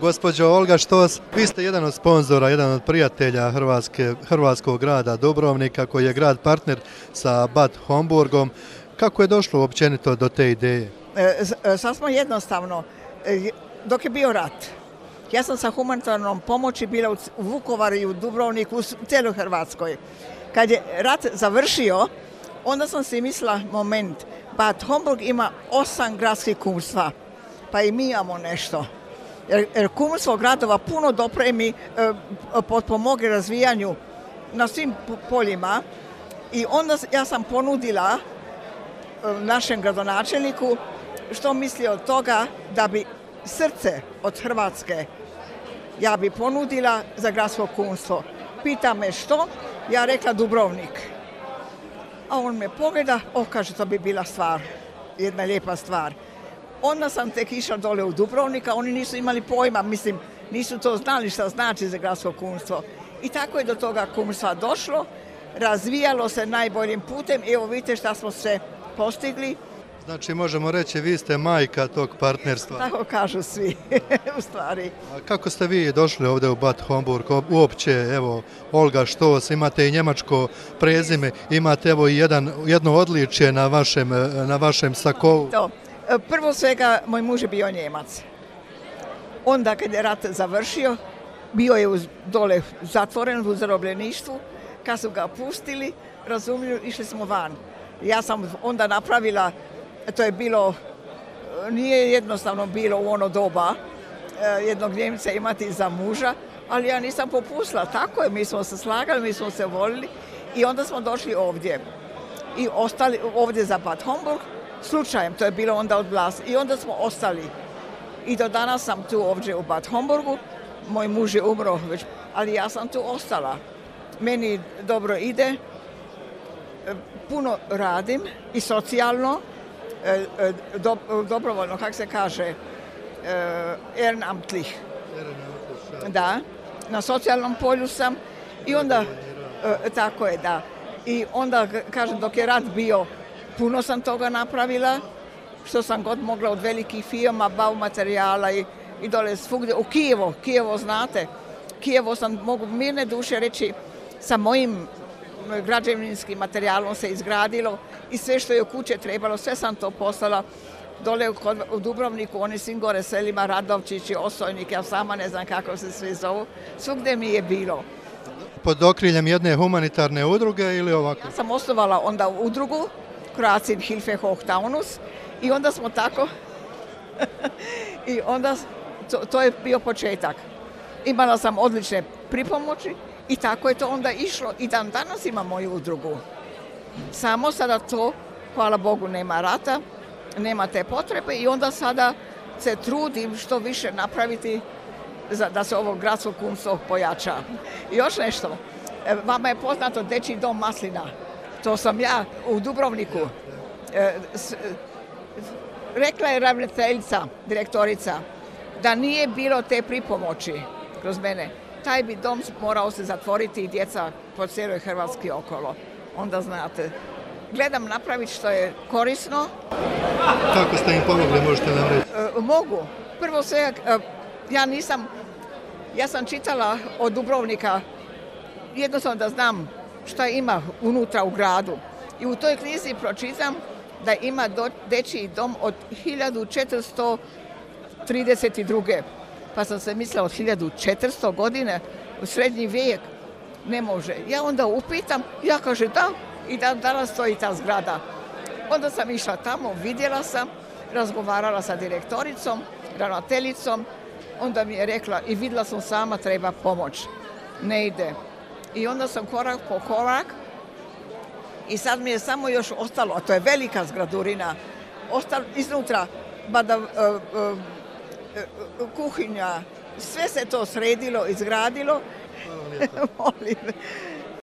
Gospođo Olga Štos, vi ste jedan od sponzora, jedan od prijatelja hrvatskog grada Dubrovnika, koji je grad partner sa Bad Homburgom. Kako je došlo uopćenito do te ideje? Sasvim jednostavno, dok je bio rat, ja sam sa humanitarnom pomoći bila u Vukovaru i u Dubrovniku, u cijeloj Hrvatskoj. Kad je rat završio, onda sam si mislila, moment, Bad Homburg ima 8 gradskih kumstva, pa i mi imamo nešto. Jer kumstvo gradova puno dopremi, potpomogne razvijanju na svim poljima i onda ja sam ponudila našem gradonačelniku što misli od toga da bi srce od Hrvatske ja bi ponudila za gradsko kumstvo. Pita me što, ja rekla Dubrovnik. A on me pogleda, kaže to bi bila stvar, jedna lijepa stvar. Onda sam tek išla dole u Dubrovnika, oni nisu imali pojma, mislim, nisu to znali šta znači za gradsko kumstvo. I tako je do toga kumstva došlo, razvijalo se najboljim putem, evo vidite šta smo se postigli. Znači možemo reći vi ste majka tog partnerstva. Tako kažu svi, u stvari. A kako ste vi došli ovdje u Bad Homburg? Uopće, evo, Olga Štos, imate i njemačko prezime, imate evo i jedno odličje na vašem sakovu. Prvo svega, moj muž je bio Njemac. Onda kad je rat završio, bio je dole zatvoren u zarobljeništvu. Kad su ga pustili, razumiju, išli smo van. Ja sam onda napravila, to je bilo, nije jednostavno bilo u ono doba jednog Njemca imati za muža, ali ja nisam popustila. Tako je, mi smo se slagali, mi smo se volili i onda smo došli ovdje. I ostali ovdje za Bad Homburg, slučajem, to je bilo onda od vlasti. I onda smo ostali. I do danas sam tu ovdje u Bad Homburgu. Moj muž je umro već, ali ja sam tu ostala. Meni dobro ide, puno radim i socijalno, dobrovoljno, kako se kaže, ehrenamtlich. Da, na socijalnom polju sam i onda, tako je, da. I onda, kažem, dok je rat bio, puno sam toga napravila, što sam god mogla od velikih firma, baumaterijala i dole svugdje. U Kijevo znate, Kijevo sam mogu mirne duše reći, sa mojim građevinskim materijalom se izgradilo i sve što je u kuće trebalo, sve sam to poslala dole u Dubrovniku, oni svim gore selima, Radovčići, Osojnik, ja sama ne znam kako se sve zovu, svugdje mi je bilo. Pod okriljem jedne humanitarne udruge ili ovako? Ja sam osnovala onda udrugu, Kroatien Hilfe Hoch Taunus, i onda smo tako, i onda to je bio početak. Imala sam odlične pripomoći i tako je to onda išlo i dan danas imam moju udrugu. Samo sada to, hvala Bogu, nema rata, nema te potrebe i onda sada se trudim što više napraviti da se ovo gradsko kumstvo pojača. I još nešto, vama je poznato Dečji dom Maslina, to sam ja u Dubrovniku. Rekla je ravnateljica, direktorica, da nije bilo te pripomoći kroz mene, taj bi dom morao se zatvoriti i djeca po cijeloj Hrvatski okolo. Onda znate, gledam napraviti što je korisno. Kako ste im pomogli, možete nam reći? Mogu. Prvo sve, ja sam čitala od Dubrovnika, jednostavno da znam šta ima unutra u gradu. I u toj knjizi pročitam da ima dečji dom od 1432. Pa sam se mislila od 1400 godine u srednji vijek ne može. Ja onda upitam, ja kažem da i danas stoji ta zgrada. Onda sam išla tamo, vidjela sam, razgovarala sa direktoricom, ravnateljicom, onda mi je rekla i vidjela sam sama treba pomoć. Ne ide. I onda sam korak po korak i sad mi je samo još ostalo, a to je velika zgradurina, iznutra kuhinja, sve se to sredilo, izgradilo. Molim.